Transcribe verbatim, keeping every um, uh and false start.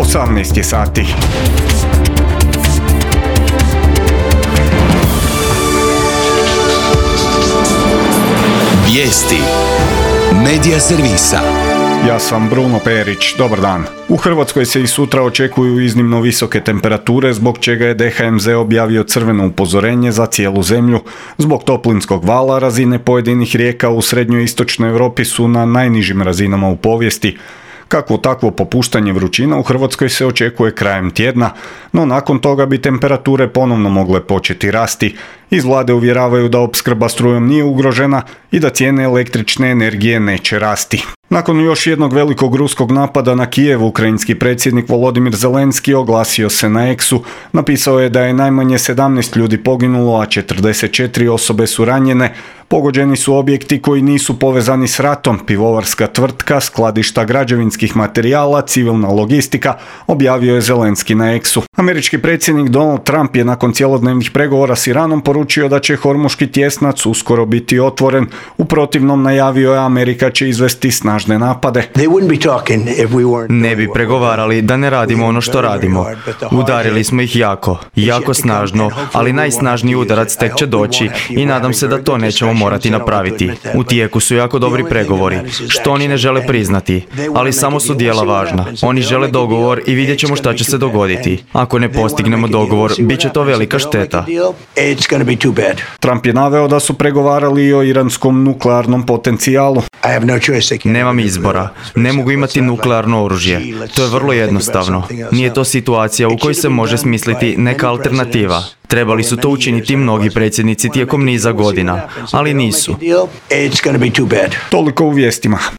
osamnaest je sati. Vijesti Medija servisa. Ja sam Bruno Perić, dobar dan. U Hrvatskoj se i sutra očekuju iznimno visoke temperature, zbog čega je D H M Z objavio crveno upozorenje za cijelu zemlju. Zbog toplinskog vala razine pojedinih rijeka u srednjoj i istočnoj Europi su na najnižim razinama u povijesti. Kakvo takvo popuštanje vrućina u Hrvatskoj se očekuje krajem tjedna, no nakon toga bi temperature ponovno mogle početi rasti. Iz vlade uvjeravaju da opskrba strujom nije ugrožena i da cijene električne energije neće rasti. Nakon još jednog velikog ruskog napada na Kijev, ukrajinski predsjednik Volodimir Zelenski oglasio se na X-u. Napisao je da je najmanje sedamnaest ljudi poginulo, a četrdeset četiri osobe su ranjene. Pogođeni su objekti koji nisu povezani s ratom, pivovarska tvrtka, skladišta građevinskih materijala, civilna logistika, objavio je Zelenski na X-u. Američki predsjednik Donald Trump je nakon cjelodnevnih pregovora s Iranom poručio da će Hormuški tjesnac uskoro biti otvoren. U protivnom, najavio je Amerika će izvesti snažne napade. Ne bi pregovarali da ne radimo ono što radimo. Udarili smo ih jako, jako snažno, ali najsnažniji udarac tek će doći i nadam se da to nećemo morati napraviti. U tijeku su jako dobri pregovori, što oni ne žele priznati, ali samo su djela važna. Oni žele dogovor i vidjet ćemo šta će se dogoditi. Ako ne postignemo dogovor, bit će to velika šteta. Trump je naveo da su pregovarali i o iranskom nuklearnom potencijalu. Nemam izbora. Ne mogu imati nuklearno oružje. To je vrlo jednostavno. Nije to situacija u kojoj se može smisliti neka alternativa. Trebali su to učiniti mnogi predsjednici tijekom niza godina, ali nisu. Toliko u vijestima.